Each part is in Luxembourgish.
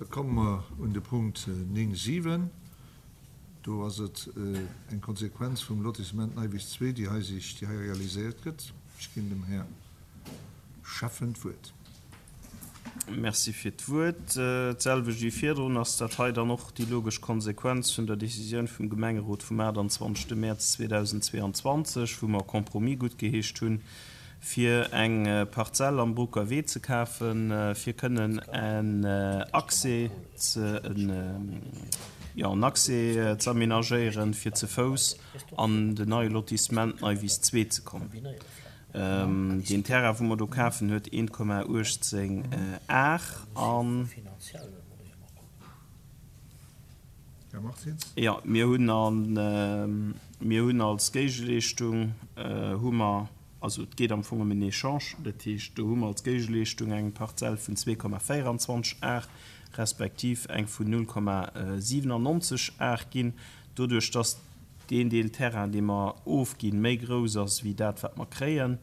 Da komme mer un de Punkt 9, 7. Do ass et eng Konsequenz vum Lotissement Neiwiss 2, déi hei sich, déi hei realiséiert gëtt. Ech ginn dem Här Schäffen d'Wuert. Merci fir d'Wuert. D'selwecht wéi virdrun ass dat hei dann och déi logesch Konsequenz vun der Décisioun vum Gemengerot vum 28. Mäerz 2022, wou mer e Compromis guttgeheescht hunn, fir eng Parzell am Broucker Wee ze kafen, fir kënnen en Accès ze, jo, en Accès ze aménagéieren, fir ze Fouss an den neie Lotissement Neiwiss 2 ze kommen. Deen Terrain, wou mer do kafen, huet 1,18 Ar an. Här Martins. Jo, mir hunn an, mir hunn als Géigeleeschtung hu mer, also et geet am Fong ëm en Echange, dat heescht, do hu mer als Géigeleeschtung eng Parzell vun 2,24 Ar respektiv eng vun 0,97 Ar ginn. Doduerch dass deen Deel Terrain, dee mer ofginn, méi grouss ass wéi dat, wat mer kréien,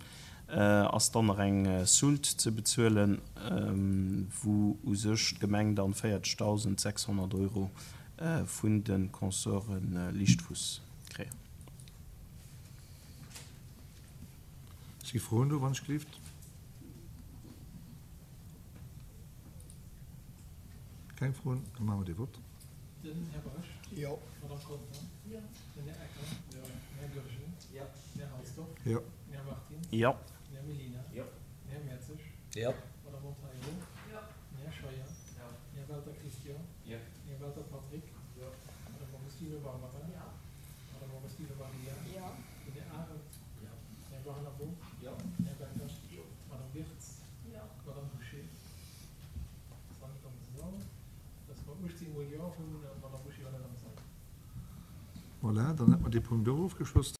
ass dann nach eng Soulte ze bezuelen, wou u sech d'Gemeng dann 40.600 Euro vun de Consorte Lichtfuss kréien. Si Froen do, wann ech gelift? Keng Froen? Da maache mer dee Vott. Den Här Bausch. Jo. D'Madame Conter. Jo. Den Här Ecker. Jo. Den Här Goergen. Jo. Den Här Halsdorf. Jo. Den Här Martins. Jo. Den Här Mellina. Jo. Den Här Mertzig. Jo. D'Madame Monteiro. Jo. Den Här Scheuer. Jo. Den Här Welter Christian. Jo. Den Här Welter Patrick. Jo. D'Madame Agostino Barbara. Jo. D'Madame Agostino Maria. Jo. Den Här Arendt. Jo. Den Här Barnabo. Jo. Den Här Becker. Jo. D'Madame Wirtz. Jo. D'Madame Bouché. Ass nach net am Sall. Dass mer 18 mol Jo hunn an d'Madame Bouché war net am Sall. Voilà, dann hätt mer dee Punkt och ofgeschloss.